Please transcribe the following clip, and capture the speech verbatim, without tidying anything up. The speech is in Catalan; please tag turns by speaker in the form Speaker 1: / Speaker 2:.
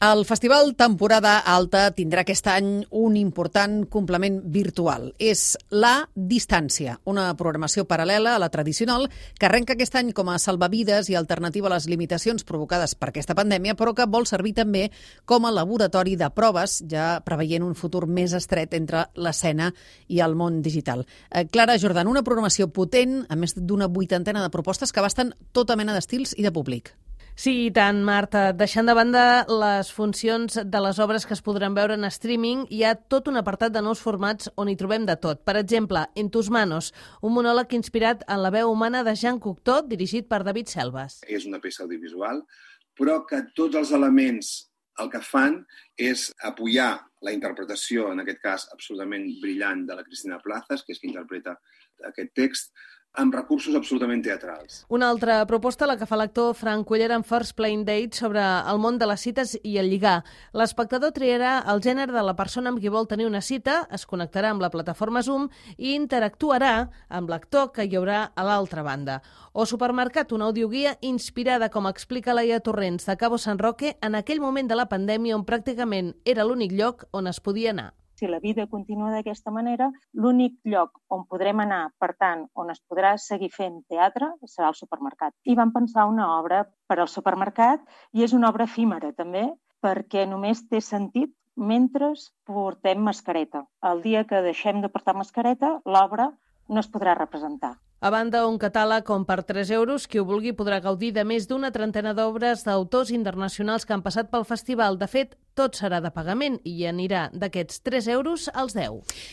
Speaker 1: El Festival Temporada Alta tindrà aquest any un important complement virtual. És La Distància, una programació paral·lela a la tradicional que arrenca aquest any com a salvavides i alternativa a les limitacions provocades per aquesta pandèmia, però que vol servir també com a laboratori de proves, ja preveient un futur més estret entre l'escena i el món digital. Eh, Clara Jordan, una programació potent, a més d'una vuitantena de propostes que abasten tota mena d'estils i de públic.
Speaker 2: Sí, i tant, Marta. Deixant de banda les funcions de les obres que es podran veure en streaming, hi ha tot un apartat de nous formats on hi trobem de tot. Per exemple, En tus manos, un monòleg inspirat en la veu humana de Jean Cocteau, dirigit per David Selves.
Speaker 3: És una peça audiovisual, però que tots els elements el que fan és apoyar la interpretació, en aquest cas absolutament brillant, de la Cristina Plazas, que és qui interpreta aquest text, amb recursos absolutament teatrals.
Speaker 2: Una altra proposta, la que fa l'actor Frank Cuellar en First Blind Date sobre el món de les cites i el lligar. L'espectador triarà el gènere de la persona amb qui vol tenir una cita, es connectarà amb la plataforma Zoom i interactuarà amb l'actor que hi haurà a l'altra banda. O Supermercat, una audioguia inspirada, com explica Laia Torrents, de Cabo San Roque, en aquell moment de la pandèmia on pràcticament era l'únic lloc on es podia anar.
Speaker 4: Si la vida continua d'aquesta manera, l'únic lloc on podrem anar, per tant, on es podrà seguir fent teatre, serà el supermercat. I vam pensar una obra per al supermercat i és una obra efímera també, perquè només té sentit mentre portem mascareta. El dia que deixem de portar mascareta, l'obra no es podrà representar.
Speaker 2: A banda, un catàleg on per tres euros qui ho vulgui podrà gaudir de més d'una trentena d'obres d'autors internacionals que han passat pel festival. De fet, tot serà de pagament i anirà d'aquests tres euros als deu.